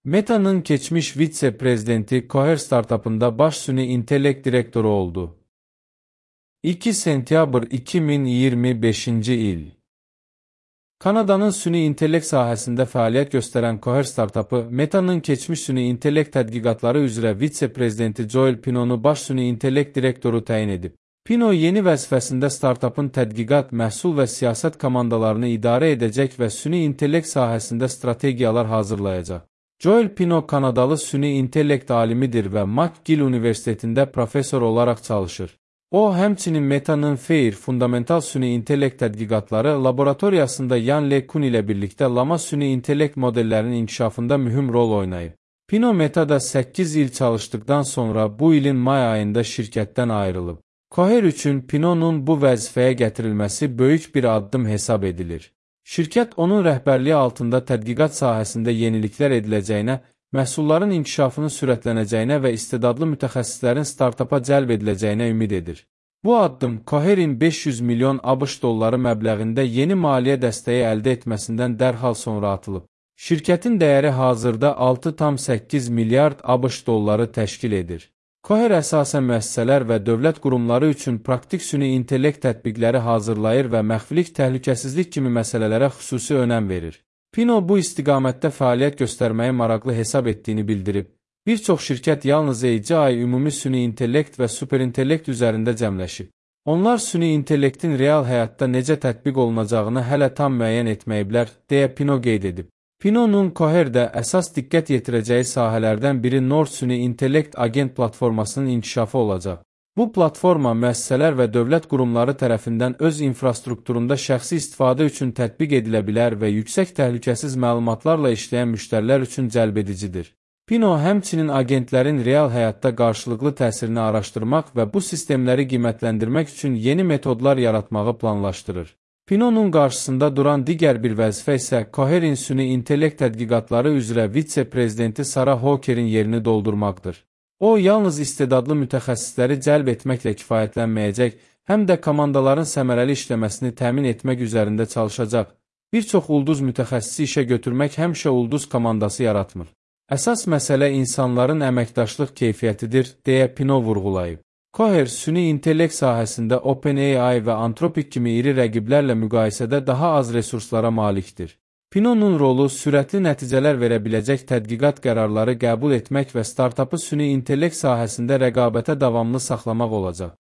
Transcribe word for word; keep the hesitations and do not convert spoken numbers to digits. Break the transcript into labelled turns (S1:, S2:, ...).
S1: Meta'nın keçmiş vitse-prezidenti Cohere startupında baş süni intellekt direktoru oldu. iki sentyabr iki min iyirmi beşinci il. Kanada'nın süni intellekt sahəsində fəaliyyət göstərən Cohere startupı, Meta'nın keçmiş süni intellekt tədqiqatları üzrə vitse-prezidenti Joel Pinonu baş süni intellekt direktoru təyin edib. Pino yeni vəzifəsində startupın tədqiqat, məhsul və siyasət komandalarını idarə edəcək və süni intellekt sahəsində strategiyalar hazırlayacaq. Joel Pino Kanadalı süni intellekt alimidir və McGill Universitetində professor olaraq çalışır. O, həmçinin Meta'nın FAIR fundamental süni intellekt tədqiqatları laboratoriyasında Yan LeCun ilə birlikdə Lama süni intellekt modellərinin inkişafında mühüm rol oynayıb. Pino Meta'da səkkiz il çalışdıqdan sonra bu ilin may ayında şirkətdən ayrılıb. Cohere üçün Pino'nun bu vəzifəyə gətirilməsi böyük bir addım hesab edilir. Şirkət onun rəhbərliyi altında tədqiqat sahəsində yeniliklər ediləcəyinə, məhsulların inkişafının sürətlənəcəyinə və istedadlı mütəxəssislərin startupa cəlb ediləcəyinə ümid edir. Bu addım Cohere'in beş yüz milyon ABŞ dolları məbləğində yeni maliyyə dəstəyi əldə etməsindən dərhal sonra atılıb. Şirkətin dəyəri hazırda altı tam səkkiz milyard ABŞ dolları təşkil edir. Cohere əsasən müəssisələr və dövlət qurumları üçün praktik süni intellekt tətbiqləri hazırlayır və məxfilik, təhlükəsizlik kimi məsələlərə xüsusi önəm verir. Pino bu istiqamətdə fəaliyyət göstərməyi maraqlı hesab etdiyini bildirib. Bir çox şirkət yalnız C I ümumi süni intellekt və superintellekt üzərində cəmləşib. Onlar süni intellektin real həyatda necə tətbiq olunacağını hələ tam müəyyən etməyiblər, deyə Pino qeyd edib. Pinonun Cohere'də əsas diqqət yetirəcəyi sahələrdən biri Nord süni intellekt agent platformasının inkişafı olacaq. Bu platforma müəssisələr və dövlət qurumları tərəfindən öz infrastrukturunda şəxsi istifadə üçün tətbiq edilə bilər və yüksək təhlükəsiz məlumatlarla işləyən müştərilər üçün cəlbedicidir. Pino həmçinin agentlərin real həyatda qarşılıqlı təsirini araşdırmaq və bu sistemləri qiymətləndirmək üçün yeni metodlar yaratmağı planlaşdırır. Pinonun qarşısında duran digər bir vəzifə isə Cohere'in süni intellekt tədqiqatları üzrə vitse-prezidenti Sarah Hawker'in yerini doldurmaqdır. O, yalnız istedadlı mütəxəssisləri cəlb etməklə kifayətlənməyəcək, həm də komandaların səmərəli işləməsini təmin etmək üzərində çalışacaq. Bir çox ulduz mütəxəssisi işə götürmək həmişə ulduz komandası yaratmır. Əsas məsələ insanların əməkdaşlıq keyfiyyətidir, deyə Pino vurğulayıb. Cohere, süni intellekt sahəsində OpenAI və Anthropic kimi iri rəqiblərlə müqayisədə daha az resurslara malikdir. Pinonun rolu sürətli nəticələr verə biləcək tədqiqat qərarları qəbul etmək və startupı süni intellekt sahəsində rəqabətə davamlı saxlamaq olacaq.